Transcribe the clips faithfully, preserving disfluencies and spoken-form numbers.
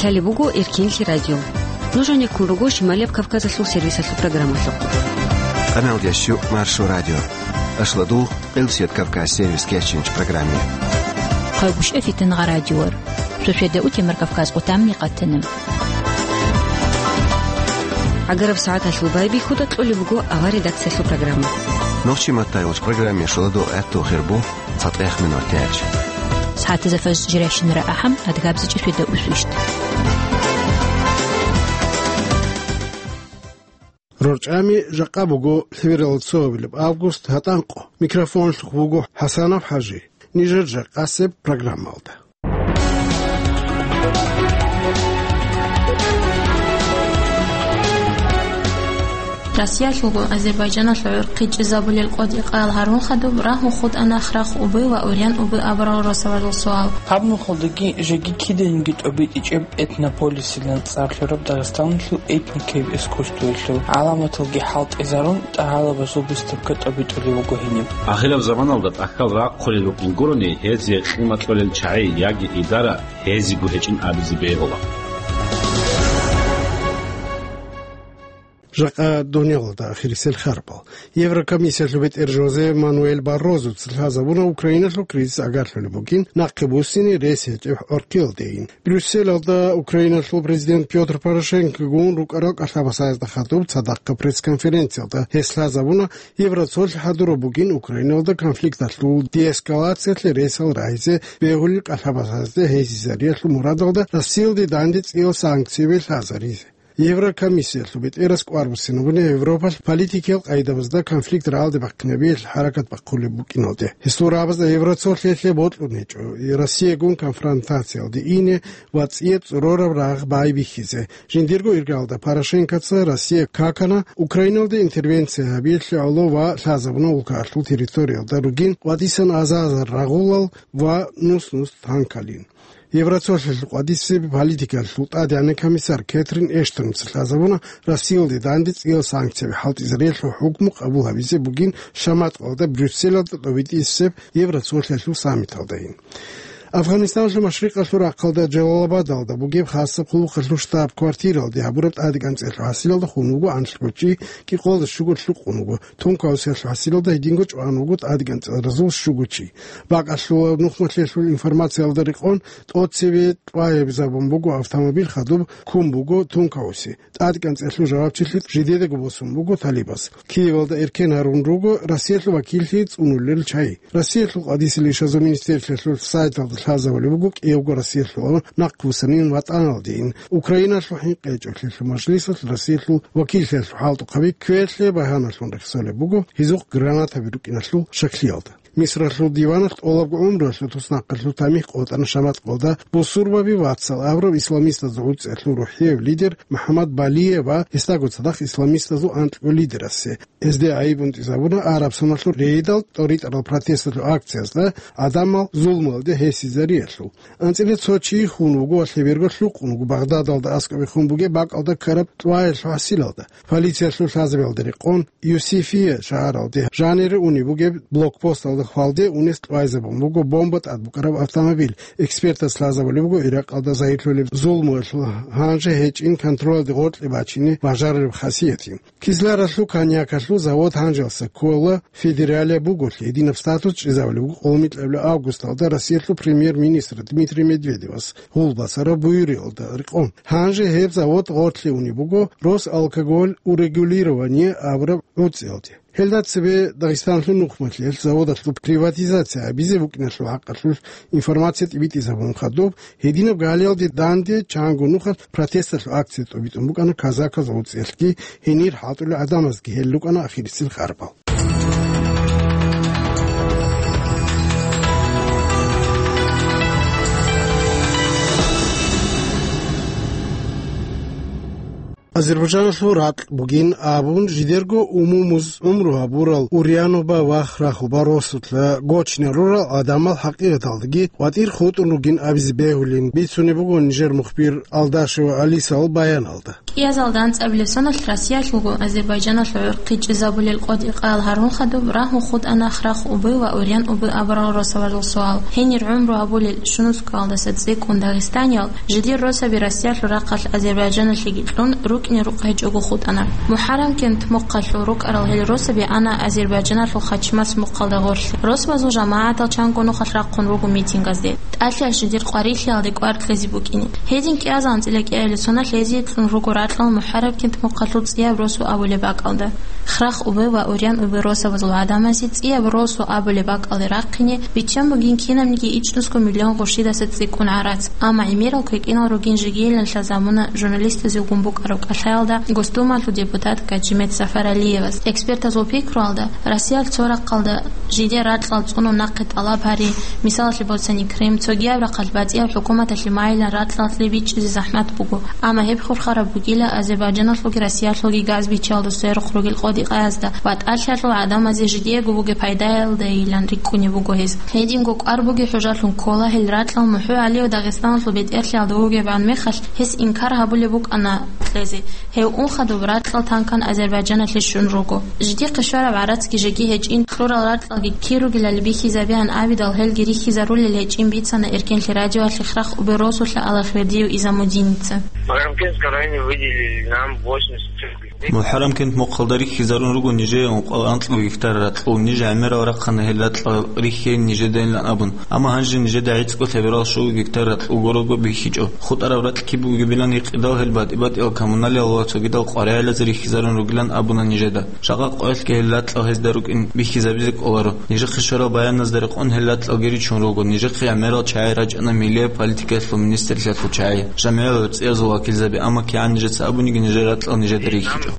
Лъалеб буго Эркинлъи радио. Нуж гьанеккун руго Шималияб Кавказалъул сервисалъул программалъухъ. Къаналдящу Маршо радио. Ашладул Къилсият Кавказ сервис кечинч программе. Хъайгъуш эфитан гъа радиор. Сосведа утемар Кавказ къутамни къатана. Агараб сагӀаталъул байбихьуда кьолеб буго авар редакциялъул программа. Нохчи маттайулч программе шуладо гӀатту хирбу. ЦатӀех минут тяч. СагӀатазда фаж жиращинара ахӀам, адгабзичӀи светда усвищт. РорчӀами жакъа буго лъивирал цоабилеб август гьатӀанкъо. Микрофонлъухъ буго ХӀасанов ХӀажи. Нижер жакъасеб программалда. Россиялъулгун Азербайджаналъул гӀурхъи чӀезабулел къоди къайил гьарун хадуб, рагьун хутӀана храхъ убы ва урян убы абурал росабазул суал. Гьаб нухалдаги жеги киданиги тӀобитӀичӀеб Этнополисилан цӀар лъураб Дагъистаналъул этникаяб искусствоялъул гӀаламаталги хӀалтӀизарун, тӀагӀалабазул выставка тӀобитӀулев вуго гьениб. Ахираб заманалда тӀахьал рахъулел рукӀин гурони, гьезие къимат кьолел чагӀи яги идара гьезиго гьечӀин абизе бегьула. Жакъа дунялалда ахирисел харбал. Еврокомиссиялъул бетӀер Жозе Мануэль Баррозуца лъазабуна Украиналъул кризис агарлъулеб бугин, нахъе буссине рес гьечӀеб гӀоркьиялдейин. Брюсселалда Украиналъул президент Пётр Порошенкогун рукӀарал кӀалъабасазда хадуб цадахъа пресс-конференциялда гьес лъазабуна, Евроцолъ хӀадураб бугин Украиналда конфликталъул деэскалациялъе ресал рагьизе бегьулел кӀалъабасазде гьезизариялъул мурадалда Россиялде данде цӀиял санкцияби лъазаризе. Еврокомиссиялъул бетӀерас кӀвар буссинабуна Европалъ политикиял къайдабазда конфликт рагӀалде бахъинабиялъе хӀаракат бахъулеб букӀиналде. Гьесул рагӀабазда Евроцолъиялъе бокьун гьечӀо Россиягун конфронтациялде ине ва цӀия цӀурораб рагъ байбихьизе. Жиндирго иргалда Порошенкоца Россия какана Украиналде интервенция гьабиялъе гӀоло ва лъазабуна улкаялъул территориялда ругин къватӀисан азар-азар рагъулал ва нус-нус танкалин. Евроцолъиялъул къватӀисеб политикалъул тӀадегӀанав комиссар Кэтрин Эштонца лъазабуна Россиялде данде цӀиял санкцияби хӀалтӀизариялъул хӀукму къабул гьабизе бугин шаматкъалда Брюсселалда тӀобитӀисеб Евроцолъиялъул саммиталдайин. Афганистаналъул машрикъалъул рахъалда Джалалабадалда бугеб хасаб хъулухъалъул штаб-квартиралде гьабураб тӀадегӀан цӀеялъул хӀасилалда хун вуго анлъго чи, кӀикъоялда щуго лъукъун вуго, тункаусиялъул хӀасилалда гьединго чӀван вуго тӀадегӀан цӀалразул щуго чи. Бакъалъулаб нухмалъиялъул информациялда рекъон, тӀоцебе тӀваябизабун буго автомобиль хадуб, ккун буго тункауси. ТӀадегӀан цӀеялъул жавабчилъи жидедаго босун буго талибаз. Киевалда эркен гьарун руго Россиялъул вакиллъи цӀунулел чагӀи. Россиялъул къватӀисел ишазул министрлъиялъул сайталда лъазабулеб буго кӀиявго Россиялъул нахъвуссанин ватӀаналдейин. Украиналъул хӀинкъи гьечӀолъиялъул мажлисалъ Россиялъул вакиллъиялъул хӀалтӀухъаби квеялъе багьаналъун рехсолеб буго гьезухъ гранатаби рукӀиналъул щаклъиялда. Мисралъул диваналъ тӀолабго гӀумруялъул туснахъалъул тамихӀ къотӀана шаматкъалда бусурбаби вацал абураб исламистазул гӀуцӀиялъул рухӀияб лидер МухӀаммад Балие ва гьесдаго цадахъ исламистазул анкьго лидерасе. Гьезде гӀайиб унтӀизабуна араб соналъул рейдал тӀоритӀарал протесталъул акциязда, гӀадамал зулмуялде гьесизариялъул. АнцӀила цо чи хун вуго ва лъеберго лъукъун вуго Багъдадалда аскӀобе хун бугеб бакӀалда ккараб тӀваялъул хӀасилалда. Полициялъул лъазабиялда рекъон, Юсифия шагьаралде жанире унеб бугеб блокпосталда хвалде унес тӀвайзабун буго бомба тӀад букӀараб автомобиль. Экспертас лъазабулеб буго Иракъалда загьирлъулеб зулмуялъул гьанже гьечӀин контролалде гъоркье бачине бажарулеб хасиятин. Кизляралъул коньякалъул завод гьанжеялдаса ккола федералияб буголъи, гьединаб статус чӀезабулеб буго къоло микьабилеб августалда Россиялъул премьер-министр Дмитрий Медведевас гьул босараб буюриялда рекъон. Гьанже гьеб завод гъорлъе унеб буго Росалкоголь урегулирование абураб гӀуцӀиялде. Гьелда цебе Дагъистаналъул нухмалъиялъ заводалъул приватизация гьабизе букӀиналъул хӀакъалъулъ информация тӀибитӀизабун хадуб, гьединаб галиялде данде чанго нухалъ протесталъул акция тӀобитӀун букӀана казаказ гӀуцӀиялъги гьенир хӀалтӀулел гӀадамазги, гьел рукӀана ахирисел харбал. Азербайджаналъул ракь бугин абун, жидерго умумуз гӀумру гьабурал Урьянуба ва Храхуба росулъа гочине рурал гӀадамал хӀакъикъаталдаги ватӀир хутӀун ругин абизе бегьулин, бицунеб буго нижер мухбир Алдашева Алисал баяналда. КӀиазалда анцӀабилеб соналъ Россиялъулго Азербайджаналъул гӀурхъи чӀезабулел къотӀи-къаял гьарун хадуб рагьун хутӀана Храхуби ва Урьянуби абурал росабазул суал. Гьенир гӀумру гьабулел щунусго алдаса цӀикӀкӀун дагъистаниял, жидер росаби Россиялъул рахъалъ Азербайджаналъеги кьун, рукӀине рукъ гьечӀого хутӀана. МухӀаррамкент мухъалъул рукӀарал гьел росаби ана Азербайджаналъул Хачмас мухъалда гъорлъе. Росабазул жамагӀатал чанго нухалъ рахъун руго митингазде. ТӀалъаялъ жидер къварилъиялде кӀвар кьезе букӀине. Гьедин кӀиазал анцӀила кӀиабилеб соналъ гьезие кьун руго ракьал МухӀаррамкент мухъалъул ЦӀияб росу абулеб бакӀалда. Храхуби ва Урьянуби росабазул гӀадамазе ЦӀияб росу абулеб бакӀалде рахъине биччан бугин кинабниги ичӀнусго миллион гъурщидаса цӀикӀкӀун гӀарац, амма гӀемерал квекӀинал ругин жегийилан лъазабуна журналистазулгун букӀараб кӀалъаялда Госдумалъул депутат Гаджимет Сафаралиевас. Экспертазул пикруялда, Россиялъ цо рахъалда жидер ракьал цӀунун нахъе тӀалаб гьари, мисалалъе босани, Крым, цогияб рахъалъ батӀияб хӀукуматалъе майилан ракьалъе бичӀчӀизе захӀмат буго. Амма гьеб хурхараб бугила Азербайджаналъулги Россиялъулги газ биччалда сверухъ ругел къотӀи-къаязда ва тӀалъаялъул гӀадамазе жидеего бугеб пайдаялдайилан рикӀкӀунеб буго гьез. Гьединго кӀвар бугеб хӀужалъун ккола гьел ракьал МухӀугьали ва Дагъистаналъул бетӀерлъиялда вугебгӀан мехалъ, гьес инкар гьабулеб букӀана кьезе. Гьев ун хадуб ракьал танкан Азербайджаналъе щун руго. Жидехъе щвараб гӀарацги жеги гьечӀин, кьурал ракьалги кир ругелали бихьизабигӀан абидал, гьелги рихьизарулел гьечӀин бицана Эркенлъи радиоялъе Храхуби росулъа Аллагьвердиев Изамудиница. В Магарамкентском районе выделили нам восемьдесят центнеров. МухӀаррамкент мухъалда рихьизарун руго нижее ункъоялда анкьго гектар ракьул. Ниж гӀемерал рахъана гьел ракьал рихьейин нижедайилан абун. Амма гьанже нижеда гӀицӀго лъаберал щуго гектар ракьул гурого бихьичӀо. ХутӀараб ракь киб бугебилан гьикъидал, гьел батӀи-батӀиял коммуналиял ва цогидал къваригӀелазе рихьизарун ругилан абуна нижеда. Жакъа къоялъги гьел ракьал гьезда рукӀин бихьизабизе кӀоларо. Нижехъе щварал баяназда рекъон гьел ракьал гиричун руго. Нижехъе гӀемерал чагӀи рачӀана милияб политикаялъул министрлъиялъул чагӀи, жамгӀиял гӀурцӀиязул вакилзаби, амма кигӀан нижеца абуниги нижер ракьал нижеда рихьичӀо.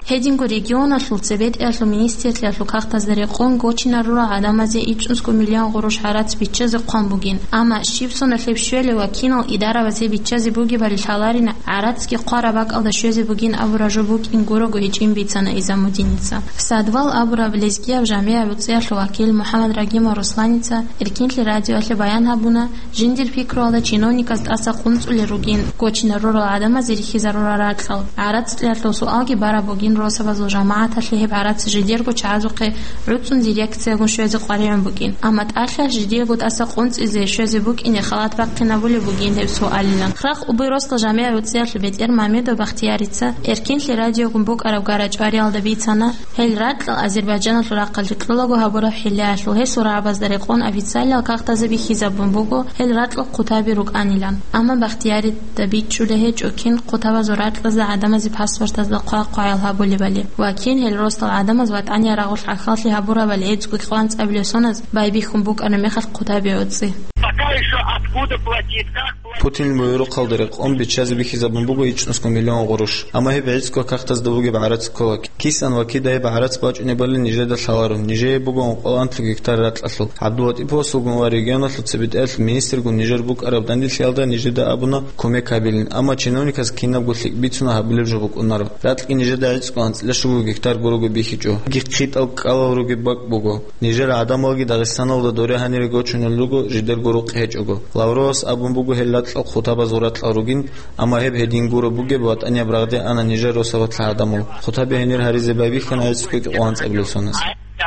Гьединго регионалъул цебетӀиялъул министрлъиялъул кагътазда рекъон гочинарурал гӀадамазе ичӀнусго миллион гъурущ гӀарац биччазе хъван бугин, амма щиб соналъ гьеб щвелев ва кинал идараваз гьеб биччазе бугебали лъаларина, гӀарацги хъвараб бакӀалда щвезе бугин абураб жо букӀин гурого гьечӀин бицана Изамудиница. Садвал абураб лезгияб жамгӀияб гӀурцӀиялъул вакил МухӀаммад Рагимов Русланица Эркенлъи радиоялъе баян гьабуна, жиндир пикруялда чиновниказ тӀаса къунцӀулел ругин гочинарурал гӀадамазе рихьизарурал ракьал. ГӀарацӀлъиялъул суалги бараб бугин росабазул жамагӀаталъе гьеб гӀарац жидерго чагӀазухъе гӀуцӀун дирекциягун щвезе къваригӀун букӀин, амма тӀалъаялъ жидеего тӀаса къунцӀизе щвезе букӀине халат бахъинабулеб бугин гьеб суалилан. Храхуби росдал жамгӀияб гӀурцӀиялъул бетӀер Мамедов Бахтиярица Эркенлъи радиогун букӀараб гара-чӀвариялда бицана, гьел ракьал Азербайджаналъул рахъалде кьолаго гьабураб хӀиллаялъул гьесул рагӀабазда рекъон официалиял кагътазе бихьизабун буго гьел ракьал хъутаби рукӀанилан. Амма Бахтиярида бичӀчӀулеб гьечӀо кин хъутабазул ракьазда гӀадамазе паспортазда хъвай-хъваял гьабулебали ва кин гьел росдал гӀадамаз ВатӀания рагъулъ гӀахьаллъи гьабурабали гӀицӀго кьван цӀабилеб соназ байбихьун букӀараб мехалъ хъутаби гӀуцӀи. Пока ещё откуда платить, как платить? Путинил буюрухъалда рекъон биччазе бихьизабун буго ичӀнусго миллион гъурущ. Амма гьеб гӀицӀго кагътазда бугеб гӀарац ккола. Кисан ва кида гьеб гӀарац бачӀунебали нижеда лъаларо, нижее буго ункъоялда анкьго гьектар ракьалъул. ГӀабдуллатӀиповасулгун ва регионалъул цебетӀиялъул министргун нижер букӀараб данделъиялда нижеда абуна кумек гьабилин, амма чиновниказ кинабго лъикӀ бицуна гьабулеб жо букӀунаро. Ракьги нижеда гӀицӀго анцӀила щуго гектар гурого бихьичӀо. Гьебги хъитӀал кӀкӀалал ругеб бакӀ буго. Нижер гӀадамалги Дагъистаналда доре гьанире гочунел руго, жидерго рукъ гьечӀого. Лавровас абун буго гьел ракьал хъутабазул ракьал ругин, амма гьеб гьедин гуро бугеб ВатӀанияб рагъде ана нижер росабалъ гӀадамал. Хъутаби гьенир гьаризе байбихьана гӀицӀго кьван цӀабилеб соназ.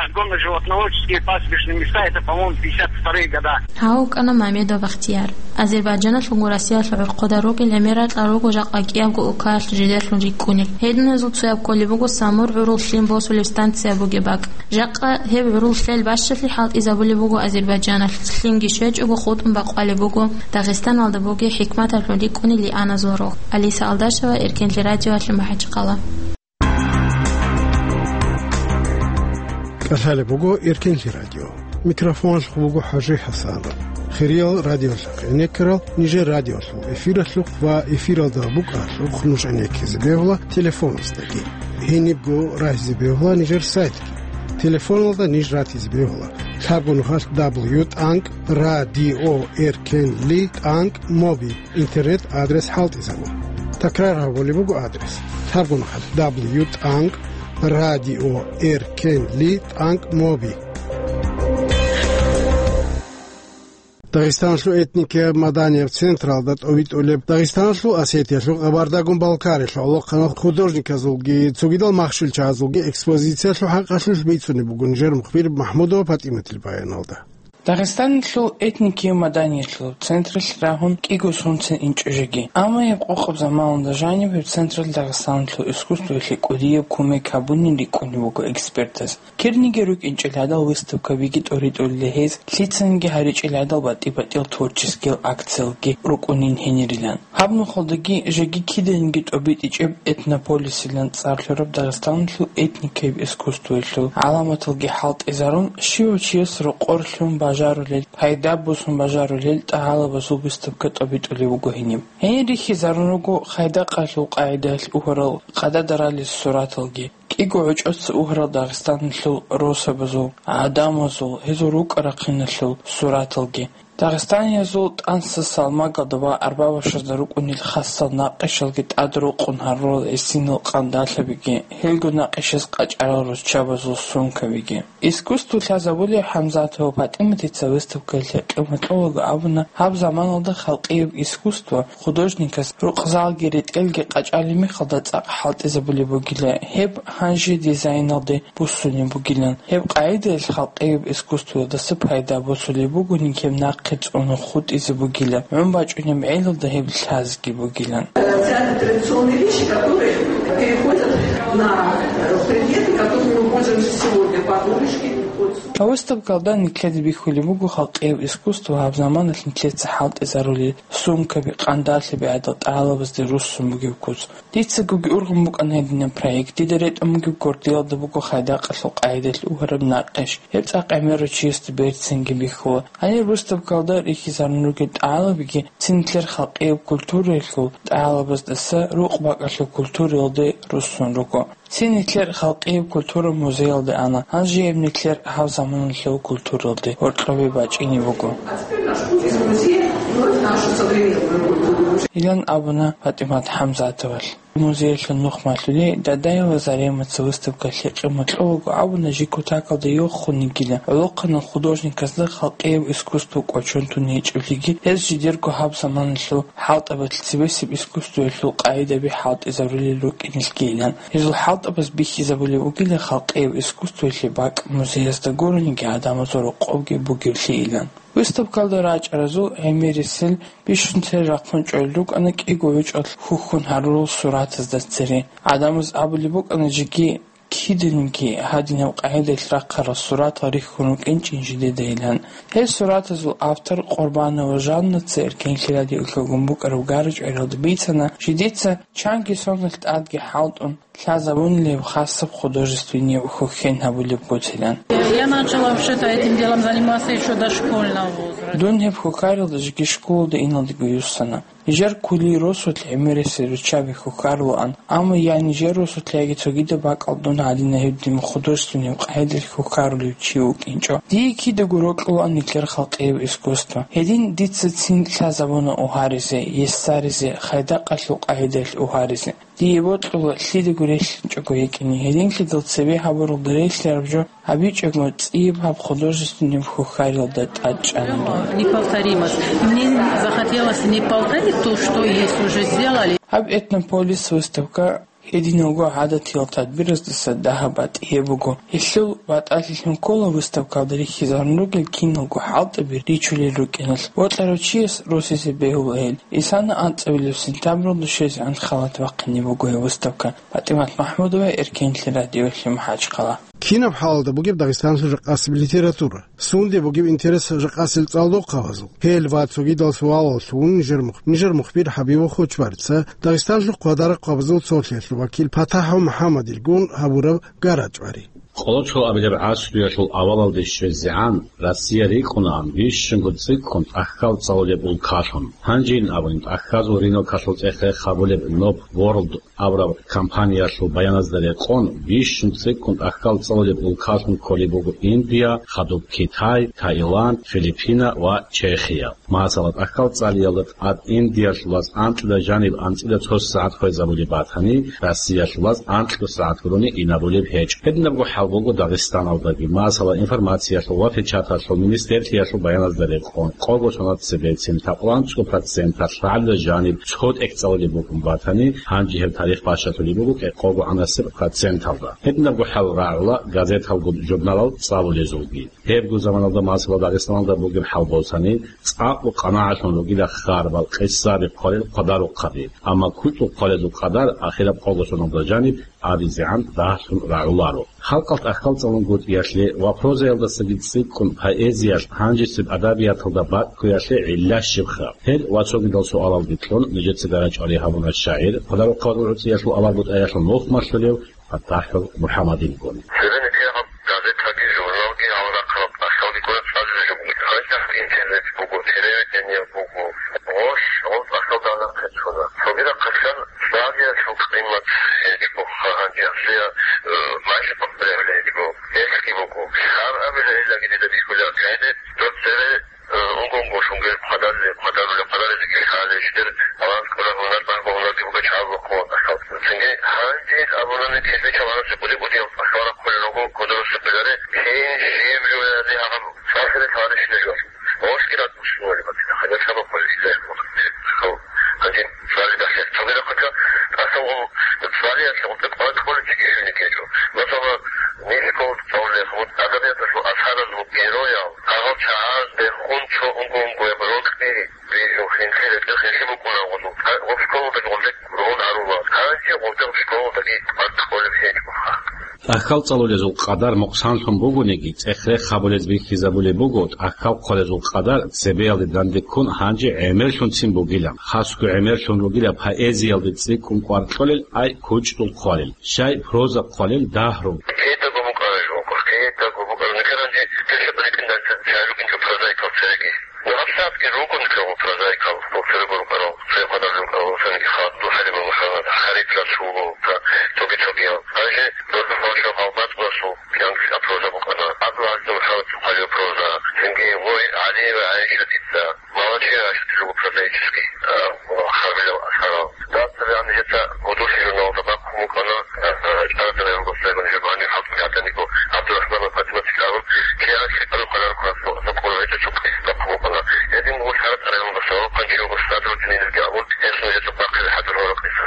Огромные животноводческие пастбищные места, это, по-моему, пятьдесят вторые года. Гьав вукӀана Мамедов Бахтияр. Азербайджаналъулгун Россиялъул гӀурхъуда рукӀин гӀемер ракьал руго жакъа кӀиябго улкаялъ жидерлъун рикӀкӀунел. Гьединазул цояб кколеб буго Самур гӀурул лъим босулеб станция бугеб бакӀ. Жакъа гьеб гӀурул лъел бащалъи хӀалтӀизабулеб буго Азербайджаналъ, лъимги щвечӀого хутӀун бакъвалеб буго Дагъистаналда бугеб хӀикматалъун рикӀкӀунел лианазул рогъ. Алиса Алдашева, Эркенлъи радиоялъе, МахӀачхъала. КӀалъалеб буго Эркенлъи радио. Микрофоналъухъ буго ХӀажи ХӀасанов. Хириял радиолъухъ гӀенеккарал нижер радиолъул эфиралъухъ ва эфиралда букӀаралъухъ нуж гӀенеккизе бегьула телефоназдаги. Гьенибго рагьизе бегьула нижер сайтги. Телефоналда ниж ратизе бегьула лъабго нухалъ дабл ю тӀанкӀ радио эркенли тӀанкӀ моби интернет адрес хӀалтӀизабун. Такрар гьабулеб буго адрес: лъабгун хъат: дабл ю тӀанкӀ радио эр кей эл тӀанкӀ моби. Дагъистаналъул этникияб-маданияб централда тӀобитӀулеб Дагъистаналъул, Осетиялъул, Къабардагун-Балкариялъул гӀолохъанал художниказулги цогидал махщел чагӀазулги экспозициялъул хӀакъалъулъ бицунеб буго нижер мухбир МахӀмудова ПатӀиматил баяналда. Дагъистаналъул этникияб-маданиялъул централъ рагьун кӀиго сунцин инчӀо жеги. Амма гьеб къокъаб заманалда жаниб гьеб централъ Дагъистаналъул искусствоялъе кӀудияб кумек гьабунин рикӀкӀунеб буго экспертаз. Кирниги рукӀинчӀел гӀадал выставкабиги тӀоритӀулел гьез, лъицаниги гьаричӀел гӀадал батӀи-батӀиял творческиял акциялги рукӀунин гьенирилан. Гьаб нухалдаги жеги киданиги тӀобитӀичӀеб Этнополисилан цӀар лъураб Дагъистаналъул этникияб искусствоялъул гӀаламаталги хӀалтӀизарун, щивав чияс рокъор лъун бажарулел, пайда босун бажарулел тӀагӀалабазул выставка тӀобитӀулеб буго гьениб. Гьенир рихьизарун руго Хайдакъалъул къагӀидаялъ угьарал къададаралил сураталги, кӀиго гӀучӀоца угьарал Дагъистаналъул росабазул, гӀадамазул, гьезул рукӀа-рахъиналъул сураталги. Дагъистаниязул тӀанса салмагазда ва арбабашазда рукӀунел хасал накъишалги тӀадрукъун гьарурал гӀисинал къандалъабиги, гьелго накъишаз къачӀарал руччабазул сумкабиги. Искусство лъазабулев ХӀамзатова ПатӀиматица выставкаялъе къимат кьолаго абуна, гьаб заманалда халкъияб искусство художникас рукъзалги ретӀелги къачӀалеб мехалда цӀакъ хӀалтӀизабулеб бугила, гьеб гьанже дизайналде буссунеб бугилан. Гьеб къагӀидаялъ халкъияб искусствоялдаса пайда босулеб бугони, гьеб нахъе цӀуна хутӀизе бугила, гӀун бачӀунеб гӀелалда гьеб лъазги бугилан. Те традиционные вещи, которые переходят на, э, предметы, которыми мы пользуемся сегодня, подушки, вот. Гьаб выставкалда нилъеда бихьулеб буго халкъияб искусство гьаб заманалъ нилъеца хӀалтӀизарулел сумкаби, къандалъаби гӀадал тӀагӀалабазде руссун бугеб куц. Дицагоги ургъун букӀана гьединаб проект. Дида ретӀун бугеб гурдиялда буго Хайдакъалъул къагӀидаялъ угьараб накъиш. Гьеб цӀакъ гӀемерав чиясда берцинги бихьула. Гьанир выставкалда рихьизарун ругел тӀагӀалабиги цин нилъер халкъияб культураялъул тӀагӀалабаздаса рукъ-бакӀалъул культуралде руссун руго. Цин нилъер халкъияб культура музеялде ана, гьанже гьеб нилъер гьаб заманалъул культуралде гьоркьобе бачӀине буго. Из музея вновь нашу современную культуру. Илан абуна ПатӀимат ХӀамзатовалъ. Музеялъул нух малъули, Дадаева Заремаца выставкалъе къимат кьолаго абуна, жи кутакалда йохун йигила гӀолохъанал художниказда халкъияб искусство кӀочон тун гьечӀеблъиги, гьез жидерго гьаб заманалъул хӀалтӀабазул цебесеб искусствоялъул къагӀидаби хӀалтӀизарулел рукӀинелъгийилан. Гьезул хӀалтӀабаз бихьизабулеб бугила халкъияб искусствоялъе бакӀ музеязда гурониги гӀадамазул рокъобги бугевлъийилан. Выставкалда рачӀаразул гӀемерисел бищун цере рахъун чӀолел рукӀана кӀиго гӀучӀалъ хьухьун гьарурал суратазда цере. ГӀадамаз абулеб букӀана жеги киданиги гьадинаб къагӀидаялъ рахъарал суратал рихьун рукӀинчӀин жидедайилан. Гьел суратазул автор Къурбанова Жаннаца эркенлъи радиоялъ гьабун букӀараб гара-чӀваралда бицана, жидеца чанги соналъ тӀадги хӀалтӀун лъазабунилеб хасаб художественнияб хьухьен гьабулеб гуцилан. Я начала вообще-то этим делом заниматься ещё дошкольного возраста. Дун гьеб хьухьарилда жеги школалда иналдего юссана. Нижер кколей росулъ гӀемерисел руччаби хьухьарулаан, амма я нижер росулъ, яги цогидаб бакӀалда дун гьадинаб гьединаб художественный къагӀидаялъ хьухьарулев чи вукӀинчӀо. Дие кидаго рокьулаан нилъер халкъияб искусство. Гьедин дица цин лъазабуна угьаризе, ессаризе, Хайдакъалъул къагӀидаялъ угьаризе. Дие бокьула лъидаго релълъинчӀого йикӀине, гьединлъидал цебе гьабуралда релълъараб жо гьабичӀого цӀияб гьаб художественный хьухьарилда тӀадчӀана дун. Неповторимость. Мне захотелось не повторить то, что есть уже сделали. Гьаб Этнополис выставка гьединалго гӀадатиял тадбираздаса дагьаб батӀияб буго. Гьелъул батӀалъилъун ккола выставкалда рихьизарун ругел киналго хӀалтӀаби ричулел рукӀиналъ. Бокьарав чияс росизе бегьула гьел. Исана анцӀабилеб сентябралда щвезегӀан халат бахъине буго гьеб выставка. ПатӀимат МахӀмудова, Эркенлъи радиоялъе, МахӀачхъала. Кинаб хӀалалда бугеб Дагъистаналъул ракъасеб литература? Сунде бугеб интерес ракъасел цӀалдохъабазул? Гьел ва цогидал суалалъ нижер мух-, нижер мухбир ХӀабибов Хочбарица Дагъистаналъул хъвадарахъабазул цолъиялъул вакил ПатахӀов МухӀаммадилгун гьабураб гара-чӀвари. Къоло цо абилеб гӀасруялъул авалалде щвезегӀан Россия рикӀкӀунаан бищунго цӀикӀкӀун тӀахьал цӀалулеб улкалъун. Гьанжейин абунин, тӀахьазул рынокалъул цӀех-рех гьабулеб Nob World абураб компаниялъул баяназда рекъон, бищун цӀикӀкӀун тӀахьал цӀалулеб улкалъун кколеб буго Индия, хадуб Китай, Таиланд, Филиппина ва Чехия. Масала, тӀахьал цӀалиялда тӀад Индиялъулаз анкьида жаниб анцӀила цо сагӀат хвезабулеб батани, Россиялъулаз анкьго сагӀат гурони инабулеб гьечӀо. Гьединабго хӀал буго Дагъистаналдаги. Масала, информациялъул ва печаталъул министерлъиялъул баяназда рекъон, къого соналъ цебецин лъабкъоялда анцӀго проценталъ лъагӀалида жаниб цо тӀехь цӀалулеб букӀун батани, гьанже гьеб тарих бащалъулеб буго кӀикъого гӀанасеб проценталда. Гьединабго хӀал рагӀула газеталгун, журналал цӀалулезулги. Гьебго заманалда, масала, Дагъистаналда бугеб хӀал босани, цӀакъго къанагӀалъун ругила харбал, къисаби хъвалел хъвадарухъаби, амма кучӀдул хъвалезул къадар ахираб къого соналда жаниб абизегӀан дагьлъун рагӀуларо. Халкъалъ тӀахьал цӀалунгутӀиялъе ва прозаялдасаги цӀикӀкӀун поэзиялъ гьанжесеб адабияталда бакӀккоялъе гӀилла щибха? Гьел ва цогидал суалалги кьун, нижеца гарачӀвари гьабуна шагӀир, хъвадарухъабазул гӀуцӀиялъул аварагутӀаялъул нухмалъулев ПатахӀул МухӀаммадилгун. Цебе нилъер гьаб газетаги, журналги, гьал рахъараб тӀахьалги ккола цӀалулел жо бугеб. Гьанже интернет буго, телевидение буго. Гъош, гъол тӀахьалда нахъе чӀуна. Цогидахъасан цӀалиялъул къимат гьечӀо, гьанже гьасие, э, майже бахъизе гьечӀо. Гьелъги буго. Гьар абила гьелдаги дида бихьулеб гӀеде, доб цебе Э, унго-унго шунгел хъвадарулел, хъвадарулел, хъвадарулел хӀалищ дир баланс ккола гьунар, багьа гьунарги буго чагӀазул хъван тӀахьал. Цинги гьанже абуни кирбичал гьарасе кӀуди-кӀудиял тӀахьал рахъулел руго, кодорусе кӀвеларе, кин жиб жо яни гьаб цӀахире лъарищ нижер. Гъошги ратӀлъугьулеб батила, хадур сабаб хъулел изайихъ мухъ тӀахьал. Гьанже цӀали бахъиялъ цогидахъа тӀасалгъун цӀалиялъе гъутӀи къватӀ кколел чиги жуни ккечӀо. Масала, нилъ школалда цӀалулеб, гъутӀи адабияталъул асаралъул героял, гьагъал чагӀаз бехун цо унго-унгояб рокьи бижун, хинлъи ретӀел хинлъи букӀуна гъозул. Гъоб школалдаги гъозде ругъун гьарула. Гьанже гъозде школалдаги къватӀ кколеб гьечӀоха. ТӀахьал цӀалулезул къадар мукъсанлъун бугониги, цӀех-рех гьабулез бихьизабулеб буго, тӀахьал хъвалезул къадар цебеялде данде ккун гьанже гӀемерлъунцин бугилан. Хасго гӀемерлъун ругила поэзиялде цӀикӀкӀун кӀвар кьолел, ай кучӀдул хъвалел, щай проза хъвалел дагь руго. Кидаго букӀараб жо буго, кидаго букӀараб. Нилъер гьанже тешаб ритӀиндан чагӀи рукӀинчӀо прозаикал цереги. Ну, гьабсагӀатги ругони ккола прозаикал, церего рукӀарал, церехъадал рукӀарал, цинги Хадуб ХӀалимул МухӀаммад, Харит Расулов, цоги-цогиял. Гьанже Дордухъан Шагьбатулласул кӀиянкиса проза букӀана, ГӀабдул-ГӀазиз МухӀаммад Сухалиев проза, цинги гъой ГӀали ва ГӀайшатица, Малачи ГӀайшатил руго прозаический, а, харбилал асарал. Дацаби гьанже гьеца гьудуллъи журналалда бахъун букӀана, а, а, ЧӀарада районалдаса гьанже гьанив хӀалтӀи гьатӀаниго ГӀабдурахӀман ва ПатӀиматилъ абун, кӀиянкиса рукъана рукъана цо-, цо къургӀи цо-, цо къис бахъун букӀана. Гьедин буго лъара цӀаралда сорокъан чи вуго Садрутдин, гьезги абун, гьесул гьечӀо бахъизе хӀадур гьоркьиса.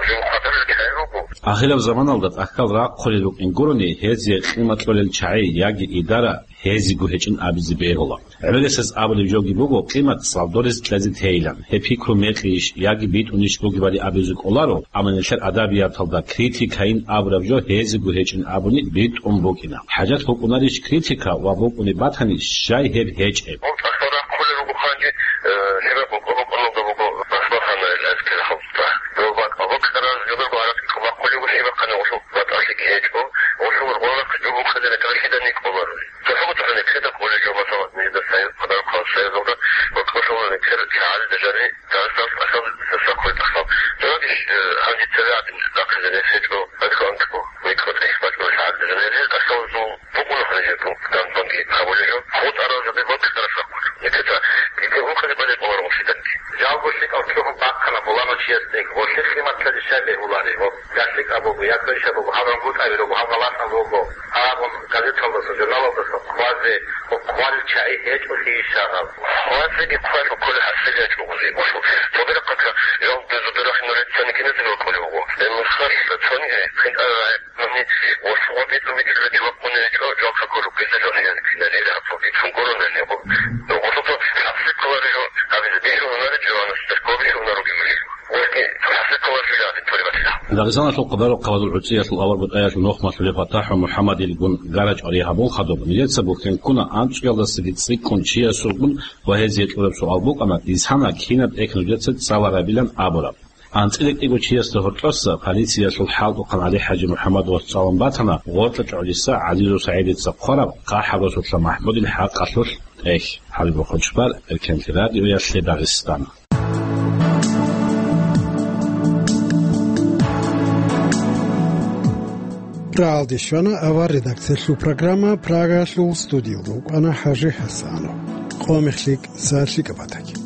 Жин хъвадарулел чагӀи руго. Ахираб заманалда тӀахьал рахъулел рукӀин гурони, гьезие къимат кьолел чагӀи яги идара гьезиго гьечӀин абизе бегьула. ГӀемерисез абулеб жоги буго, къимат цӀалдоризе кьезе тейилан. Гьеб пикру мекъийищ яги битӀунищ бугебали абизе кӀоларо, амма нилъер адабияталда критикайин абураб жо гьезиго гьечӀин абуни битӀун букӀина. ХӀажат букӀунарищ критика ва букӀунеб батани, щай гьеб гьечӀеб? Гьеб тӀахьал рахъулел руго гьанже, э, лъимер бокьа-бокьаналда буго Басмаханайил гӀескал хӀалтӀа. Дов бакӀа бокьарал жодорго гьаракь бахъулев вугев, бахъана гъолъул батӀалъиги гьечӀо, гъолъул гъорахъ жо букӀине рекӀелъидани кӀоларо. ЦохӀо-цохӀо нилъеда кӀолеб жо, масала, нижеда цайил хъадар хъван цайилалда ва кӀолъала нилъер чагӀазда жанир Дагъистаналъ тӀахьал сахлъи тӀахьал. Дунагищ, э, гьанже цеве гӀадин рахъизе рес гьечӀо, гьанкӀ-гьанкӀго, микро тӀехь бачӀунел гӀадин жанир тӀахьал зул букӀуна гьанже бу-, данбанги гьабулел жо. ХутӀарал жо бе бокьараб рахъулъ. Нилъеца кӀиго ункъабилеб къваригӀун щиданги. Жалго лъикӀав лъугьун бахъана гъоланав чиясде, гъолъие хъиматлъазе щай бегьулареб? Гьеб я лъикӀаб буго, я квешаб буго, гьаб рангутӀаби руго, гьаб галатӀаб буго, абун газеталдаса, журналалдаса хъвазе, хъвалел чагӀи гьечӀолъи ишарал? Хъвазеги хъвалъ кколеб хӀасил гьечӀо гъозе. Цогидахъа жал безуберахъ нуреца никиназего кколеб буго. Гьеб мехалъ цониги хъинтӀарай Гьаниб гъосул битӀун битӀараб чи вахъунев гьечӀо, жал какурухъ гьезда жал хӀиял киналил гьаб битӀун гурони гьеб. Гъосул цо хӀасил кколареб жо, гьабизе бихьун гьунареб жо, гьанасда кколеб бихьун гьаруги гьелъул. Гъосги хӀасил кколареб жо гьабин толеб батила. Дагъистаналъул хъубараб хъабазул гӀуцӀиялъул аварагутӀаялъул нухмалъулев ПатахӀ МухӀаммадилгун гарачӀвари гьабун хадуб, нилъеца бухьен ккуна анцӀкӀиялдасаги цӀикӀкӀун чиясулгун ва гьезие кьураб суал букӀана, дисана кинаб тӀехь нужеца цӀаларабилан абураб. АнцӀила кӀиго чиясда гьоркьоса полициялъул хӀалтӀухъан ГӀали-ХӀажи МухӀаммад вацӀцӀалъун батана гъоркьа чӀужуса ГӀазизов СагӀидица хъвараб ХъахӀабасулъа МахӀмудил хӀакъалъулъ тӀехь. ХӀалиб Хъучбар, Эркенлъи радиоялъе Дагъистан. Рагьалде щвана авар редакциялъул программа, Прагаялъул студиялда вукӀана ХӀажи ХӀасанов. Къо мехлъи, са лъикӀаб батаги.